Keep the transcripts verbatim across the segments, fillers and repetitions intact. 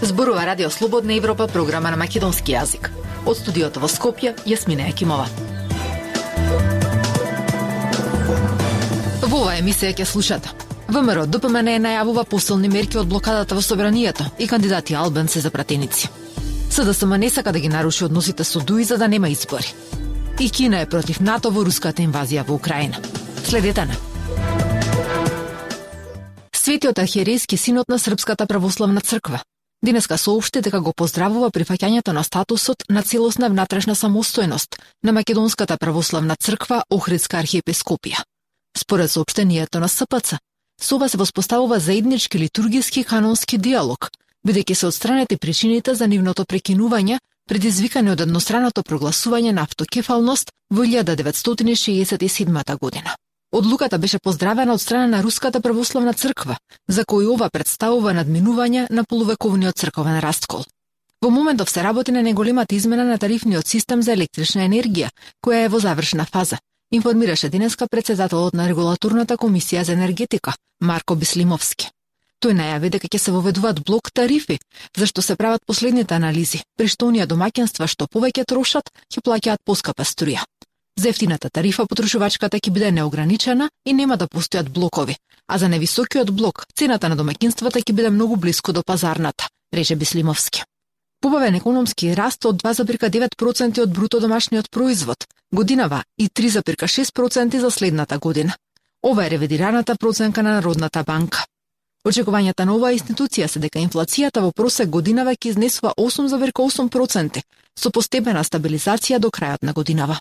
Зборува Радио Слободна Европа, програма на македонски јазик. Од студиото во Скопје, Јасмина Екимова. Во оваа емисија ќе слушате. ВМРО Д П М Н најавува посилни мерки од блокадата во собранието и кандидати албанци за пратеници. С Д С М не сака да ги наруши односите со Дуи за да нема избори. И Кина е против НАТО во руската инвазија во Украина. Следете на. Светиот архиерејски синод на Српската православна црква денеска соопшти дека го поздравува прифаќањето на статусот на целосна внатрешна самостојност на Македонската православна црква Охридска архиепископија. Според соопштението на С П Ц, со ова се воспоставува заеднички литургиски канонски диалог, бидејќи се отстранети причините за нивното прекинување, предизвикани од едностранното прогласување на автокефалност во илјада деветстотини шеесет и седма година. Одлуката беше поздравена од страна на Руската православна црква, за кој ова представува надминување на полувековниот црковен раскол. Во моментов се работи на неголемата измена на тарифниот систем за електрична енергија, која е во завршна фаза, информираше денеска председателот на Регулаторната комисија за енергетика, Марко Бислимовски. Тој најави дека ќе се воведуваат блок тарифи, зашто се прават последните анализи, при што оние домаќинства што повеќе трошат, ќе плаќаат поскапа струја. За ефтината тарифа потрошувачката ќе биде неограничена и нема да постојат блокови, а за невисокиот блок цената на домаќинствата ќе биде многу блиску до пазарната, рече Бислимовски. Побавен економски раст од два зарез девет проценти од бруто домашниот производ годинава и три зарез шест проценти за следната година. Ова е ревидираната проценка на Народната банка. Очекувањата на оваа институција се дека инфлацијата во просек годинава ќе изнесува осум зарез осум проценти, со постепена стабилизација до крајот на годинава.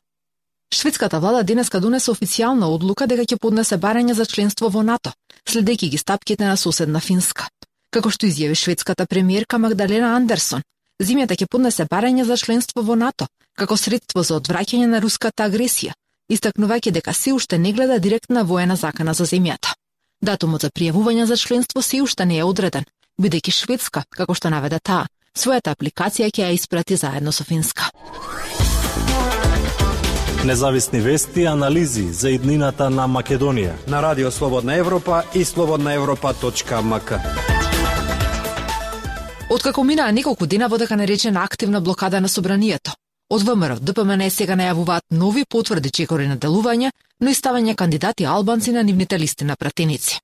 Шведската влада денеска донесе официјална одлука дека ќе поднесе барање за членство во НАТО, следејќи ги стапките на соседна Финска. Како што изјави шведската премиерка Магдалена Андерсон, земјата ќе поднесе барање за членство во НАТО, како средство за одвраќање на руската агресија, истакнувајќи дека се уште не гледа директна воена закана за земјата. Датумот за пријавување за членство се уште не е одреден, бидејќи Шведска, како што наведе таа, својата апликација ќе ја испрати заедно со Финска. Независни вести и анализи за иднината на Македонија на Радио Слободна Европа и слободна европа точка ем ка. Откако минаа неколку дена во така наречена активна блокада на собранието, од ВМРО Д П М Н сега најавуваат нови потврди чекори на делување, но и ставање кандидати албанци на нивните листи на пратеници.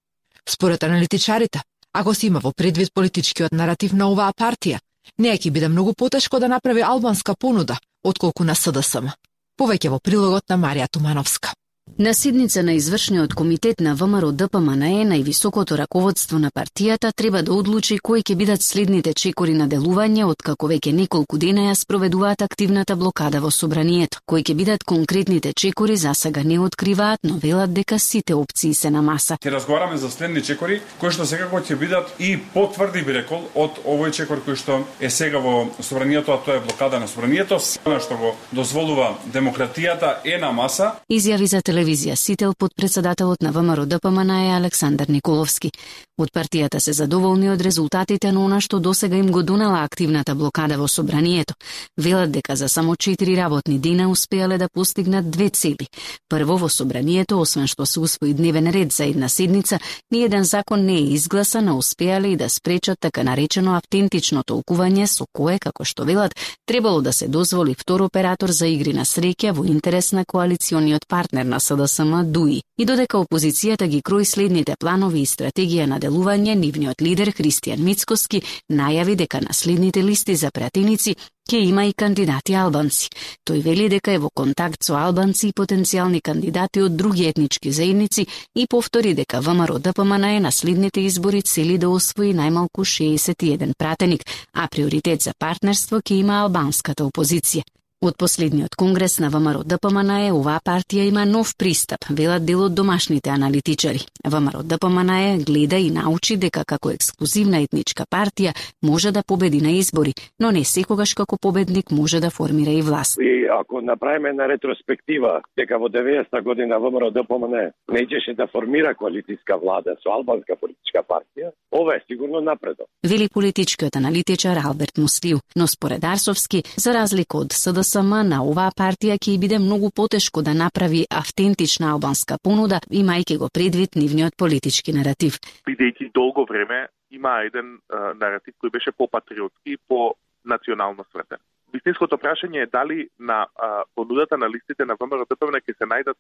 Според аналитичарите, ако се има во предвид политичкиот наратив на оваа партија, неа ќе биде многу потешко да направи албанска понуда, отколку на С Д С М. Повеќе во прилогот на Марија Тумановска. На седница на извршниот комитет на ВМРО Д П М Н Е, највисокото раководство на партијата треба да одлучи кои ќе бидат следните чекори на делување откако веќе неколку дена ја спроведуваат активната блокада во собранието. Кои ќе бидат конкретните чекори засега не откриваат, но велат дека сите опции се на маса. Ќе разговараме за следни чекори кои што секако ќе бидат и потврди би рекол од овој чекор кој што е сега во собранието, а тоа е блокада на собранието, она што го дозволува демократијата е на маса. Изјави за телевизија Сител подпредседателот на ВМРО Д П М Н Е Александар Николовски. Од партијата се задоволни од резултатите на она што досега им го донела активната блокада во собранието. Велат дека за само четири работни дена успеале да постигнат две цели. Прво, во собранието, освен што се усвои дневен ред за една седница, ниеден закон не е изгласан, а успеале и да спречат така наречено автентично толкување со кое, како што велат, требало да се дозволи втор оператор за игри на среќа во интерес на коалициониот партнер на С Д С М Дуи. И додека опозицијата ги крои следните планови и стратегија на делување, нивниот лидер Христијан Мицкоски најави дека на следните листи за пратеници ќе има и кандидати албанци. Тој вели дека е во контакт со албанци и потенцијални кандидати од други етнички заедници и повтори дека ВМРО Д П М Н Е на следните избори цели да освои најмалку шеесет и еден пратеник, а приоритет за партнерство ќе има албанската опозиција. Од последниот конгрес на ВМРО Д П М Н Е оваа партија има нов пристап, велат дел од домашните аналитичари. ВМРО Д П М Н Е гледа и научи дека како ексклузивна етничка партија може да победи на избори, но не секогаш како победник може да формира и власт. И ако направиме на ретроспектива дека во деветдесета година ВМРО Д П М Н Е не ичеше да формира коалицијска влада со албанска политичка партија, ова е сигурно напредок. Вели политичкиот аналитичар Алберт Муслиу, но според Арсовски, за разлика од С Д СДСМ на оваа партија ќе биде многу потешко да направи автентична албанска понуда, имајќи го предвид нивниот политички наратив. Бидејќи долго време има еден а, наратив кој беше по-патриотски и по-национално свртен. Вистинското прашање е дали на а, понудата на листите на ВМРО-ДПМН ќе се најдат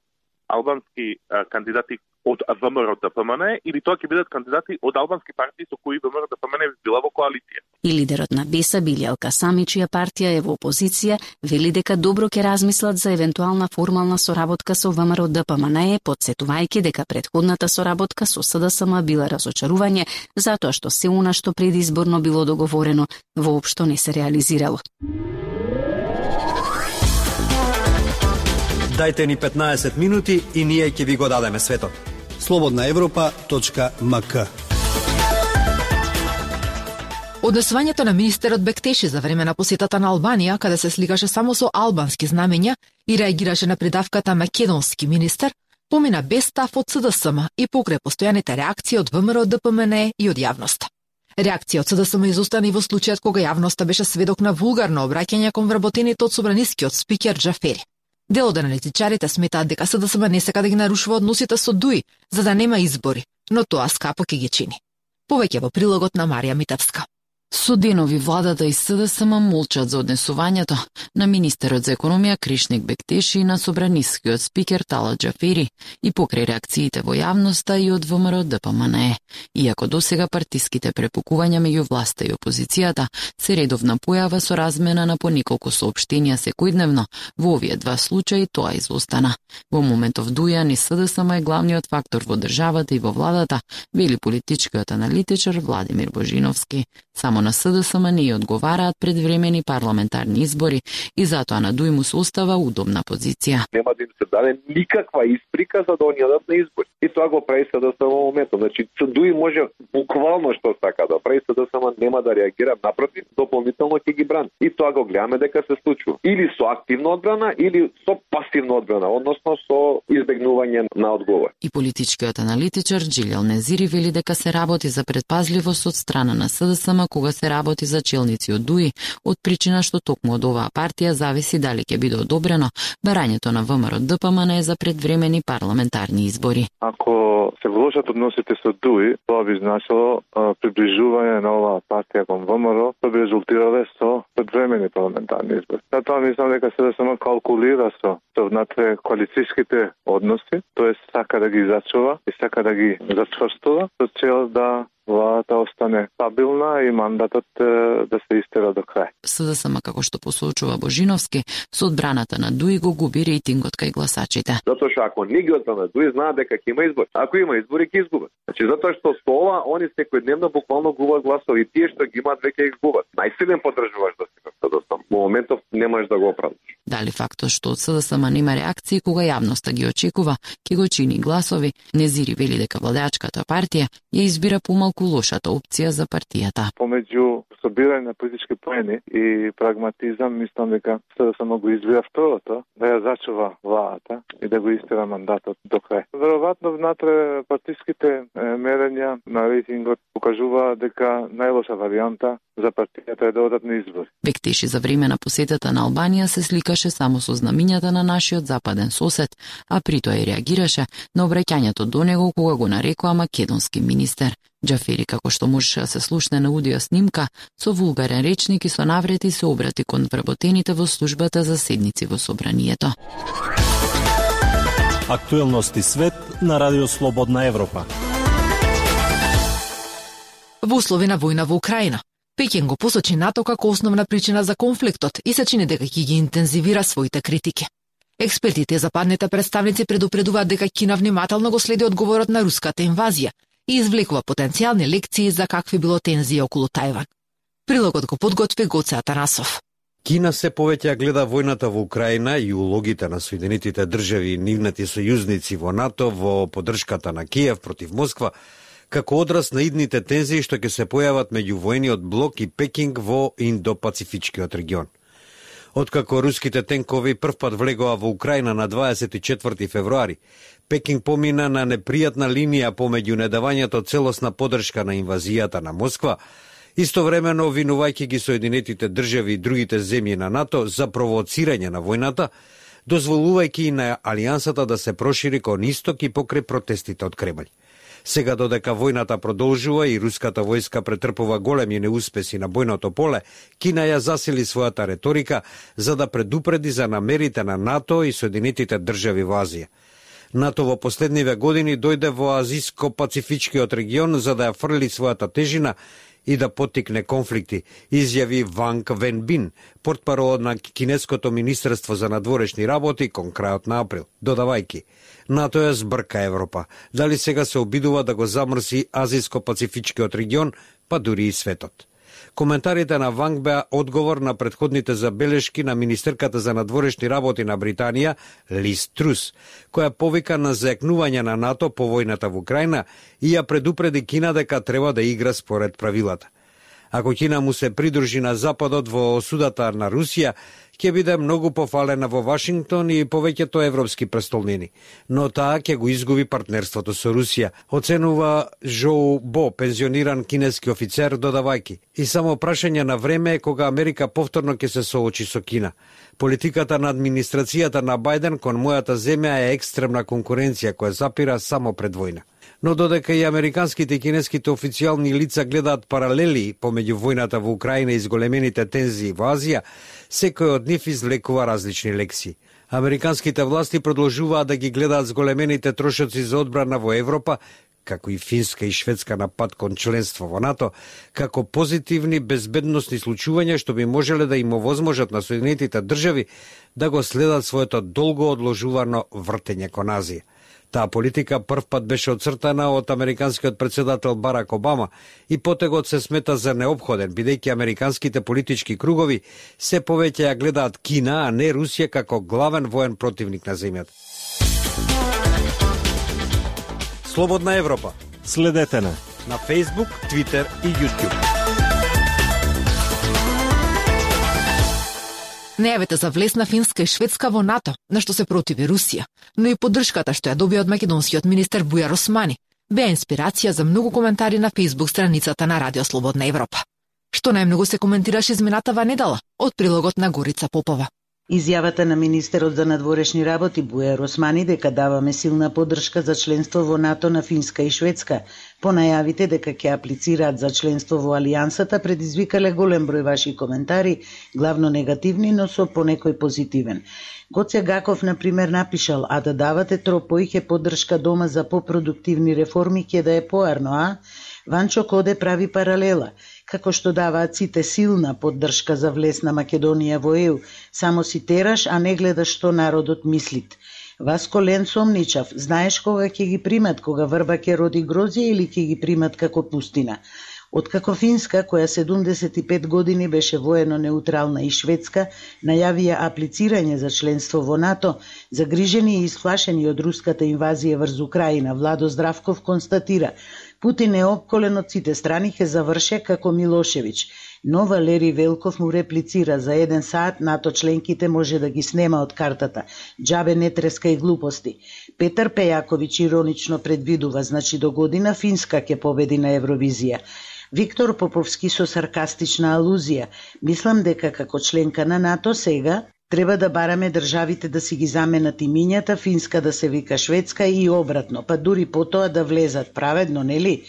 албански а, кандидати од ВМРО-ДПМН или тоа ќе бидат кандидати од албански партии со кои ВМРО-ДПМН била во коалиција. И лидерот на Беса Билјал Касами, чија партија е во опозиција, вели дека добро ќе размислат за евентуална формална соработка со ВМРО-ДПМН, потсетувајќи дека претходната соработка со СДСМ била разочарување, затоа што се она што предизборно било договорено воопшто не се реализирало. Дајте ни петнаесет минути и ние ќе ви го дадеме светот. слободна европа точка ем ка. Однесувањето на министерот Бектеши за време на посетата на Албанија, каде се сликаше само со албански знамења и реагираше на придавката македонски министер, помина без став од СДСМ и покрај постојаните реакции од ВМРО-ДПМН и од јавноста. Реакција од СДСМ изостана и во случајот кога јавноста беше сведок на вулгарно обраќање кон вработените од собранискиот спикер Џафери. Дел од аналитичарите сметаат дека СДСМ не сака да ги нарушува односите со ДУИ, за да нема избори, но тоа скапо ќе ги чини. Повеќе во прилогот на Марија Митевска. Со денови владата и СДСМ молчат за однесувањето на министерот за економија Кришник Бектеши и на собранискиот спикер Талат Џафери и покрај реакциите во јавноста и од ВМРО-ДПМН. Иако досега партиските препукувања меѓу власта и опозицијата се редовна појава со размена на по неколку соопштенија секојдневно, во овие два случаи тоа изостана. Во моментов дуја ни СДСМ е главниот фактор во државата и во владата, вели политичкиот аналитичар Владимир Божиновски. Само на СДСМ не одговараат предвремени парламентарни избори и затоа на ДУИ му се остава удобна позиција. Нема да им се даде никаква исприка за да они одат на избори. И тоа го прави СДСМ во моментот. Значи, ДУИ може буквално што сака да прави, СДСМ нема да реагира, напротив, дополнително ќе ги брани. И тоа го гледаме дека се случува. Или со активна одбрана, или со пасивна одбрана, односно со избегнување на одговор. И политичкиот аналитичар Джилјал Незири вели дека се работи за предпазливост од страна на СДСМ кога се работи за челници од ДУИ, од причина што токму од оваа партија зависи дали ќе биде одобрено барањето на ВМРО-ДПМН за предвремени парламентарни избори. Ако се влошат односите со ДУИ, тоа би значило а, приближување на оваа партија кон ВМРО, тоа би резултирале со предвремени парламентарни избори. Затоа мислам дека СДСМ калкулира со со внатре коалицијските односи, тоест сака да ги зачува и сака да ги зачврстува со цел да владата остане стабилна и мандатот да се истера до крај. СДСМ, како што посочува Божиновски, со одбраната на ДУИ го губи рейтингот кај гласачите. Затоа што ако не ги одбрана ДУИ, знаат дека ќе има избори. Ако има избори, ќе изгубат. Значи затоа што со ова они секојдневно буквално губат гласови и тие што ги имаат веќе ги губат. Најсилен подржуваш да си СДСМ. Во моментов не можеш да го оправдаш. Дали фактот што од СДСМ нема реакции кога јавноста ги очекува, ќе го чини гласови, Незири вели дека владеачката партија ја избира помалку лошата опција за партијата. Помеѓу собирање на политички поени и прагматизам, мислам дека СДСМ го избира второто, да ја зачува владата и да го истера мандатот до крај. Веројатно внатре партиските мерења на рейтингот покажуваат дека најлоша варијанта за партијата е да одат на избори. Бектеши за време на посетата на Албанија се сликаше само со знамињата на нашиот западен сосед, а при тоа и реагираше на обраќањето до него кога го нарекоа македонски министер. Џафери, како што можеше да се слушне на аудио снимка, со вулгарен речник и со наврети се обрати кон вработените во службата за седници во собранието. Актуелности свет на Радио Слободна Европа. Во услови на војна во Украина, Пекин го посочи НАТО како основна причина за конфликтот и се чини дека ќе ги интензивира своите критики. Експертите и западните представници предупредуваат дека Кина внимателно го следи одговорот на руската инвазија и извлекува потенцијални лекции за какви било тензии околу Тајван. Прилогот го подготви Гоце Атанасов. Кина се повеќе гледа војната во Украина и улогите на Соединетите држави и нивните сојузници во НАТО во поддршката на Киев против Москва, како одраз на идните тензии што ќе се појават меѓу војниот блок и Пекинг во Индо-Пацифичкиот регион. Откако руските тенкови првпат влегоа во Украина на дваесет и четврти февруари, Пекинг помина на непријатна линија помеѓу недавањето целосна поддршка на инвазијата на Москва Истовремено, обвинувајќи ги Соединетите држави и другите земји на НАТО за провоцирање на војната, дозволувајќи и на алијансата да се прошири кон исток и покрај протестите од Кремљ. Сега додека војната продолжува и руската војска претрпува големи неуспеси на бојното поле, Кина ја засили својата реторика за да предупреди за намерите на НАТО и Соединетите држави во Азија. НАТО во последниве години дојде во азиско-пацифичкиот регион за да ја фрли својата тежина и да поттикне конфликти, изјави Ванг Венбин, портпарол на Кинеското министерство за надворешни работи кон крајот на април, додавајќи: НАТО ја збрка Европа, дали сега се обидува да го замрси азиско-пацифичкиот регион, па дури и светот. Коментарите на Ванг беа одговор на претходните забелешки на министерката за надворешни работи на Британија, Лиз Трус, која повика на заекнување на НАТО по војната во Украина и ја предупреди Кина дека треба да игра според правилата. Ако Кина му се придружи на Западот во осудата на Русија, ќе биде многу пофалена во Вашингтон и повеќето европски престолнини, но таа ќе го изгуби партнерството со Русија, оценува Жоу Бо, пензиониран кинески офицер, додавајќи: и само прашање на време е кога Америка повторно ќе се соочи со Кина. Политиката на администрацијата на Бајден кон мојата земја е екстремна конкуренција која запира само пред војна. Но додека и американските и кинеските официјални лица гледаат паралели помеѓу војната во Украина и зголемените тензии во Азија, секој од нив извлекува различни лекции. Американските власти продолжуваат да ги гледаат зголемените трошоци за одбрана во Европа, како и Финска и Шведска на пат кон членство во НАТО, како позитивни безбедносни случувања што би можеле да им овозможат на Соединетите држави да го следат своето долго одложувано вртење кон Азија. Таа политика првпат беше оцртана од американскиот председател Барак Обама и потегот се смета за неопходен, бидејќи американските политички кругови се повеќе ја гледаат Кина, а не Русија како главен воен противник на земјата. Слободна Европа. Следете на на Facebook, Twitter и YouTube. Најавите за влез на Финска и Шведска во НАТО, на што се противи Русија, но и поддршката што ја добија од македонскиот министер Бујар Османи, беа инспирација за многу коментари на Facebook страницата на Радио Слободна Европа. Што најмногу се коментираше изминатава недела од прилогот на Горица Попова. Изјавата на министерот за надворешни работи Бујар Османи дека даваме силна поддршка за членство во НАТО на Финска и Шведска, по најавите дека ќе аплицираат за членство во Алијансата, предизвикале голем број ваши коментари, главно негативни, но со понекој позитивен. Гоце Гаков, например, напишал: а да давате тропојќе поддршка дома за попродуктивни реформи ќе да е поарно, а? Ванчо Коде прави паралела. Како што даваат сите силна поддршка за влез на Македонија во Е У, само си тераш, а не гледаш што народот мислит. Васко Лен сомничав: знаеш кога ќе ги примат, кога врба ќе роди грозје или ќе ги примат како пустина? Откако Финска, која седумдесет и пет години беше воено неутрална, и Шведска најавија аплицирање за членство во НАТО, загрижени и исплашени од руската инвазија врз Украина, Владо Здравков констатира: Путин е опколен од сите страни, ќе заврше како Милошевиќ. Но Валери Велков му реплицира: за еден саат НАТО членките може да ги снема од картата. Џабе не треска и глупости. Петар Пејаковиќ иронично предвидува: значи до година Финска ќе победи на Евровизија. Виктор Поповски со саркастична алузија: мислам дека како членка на НАТО сега треба да бараме државите да си ги заменат имињата, Финска да се вика Шведска и обратно, па дури потоа да влезат. Праведно, нели?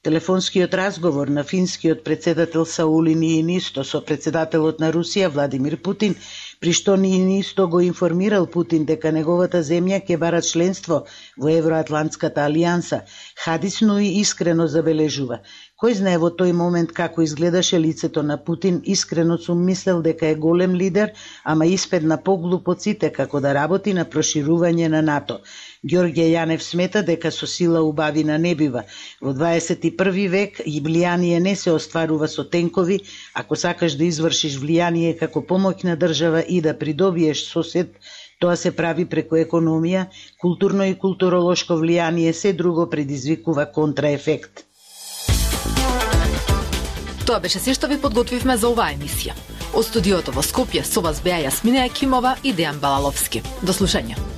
Телефонскиот разговор на финскиот председател Саули Ниинисто со председателот на Русија Владимир Путин, при што Ниинисто го информирал Путин дека неговата земја ќе бара членство во Евроатлантската алијанса, хадисно и искрено забележува: кој знае во тој момент како изгледаше лицето на Путин, искрено сум мислел дека е голем лидер, ама испедна поглуп од сите како да работи на проширување на НАТО. Ѓорѓе Јанев смета дека со сила убавина не бива. Во дваесет и први век и влијание не се остварува со тенкови, ако сакаш да извршиш влијание како помоќна држава и да придобиеш сосед, тоа се прави преку економија, културно и културолошко влијание, се друго предизвикува контраефект. Тоа беше се што ви подготвивме за оваа емисија. Од студиото во Скопје со вас беа Јасмина Екимова и Дејан Балаловски. До слушање.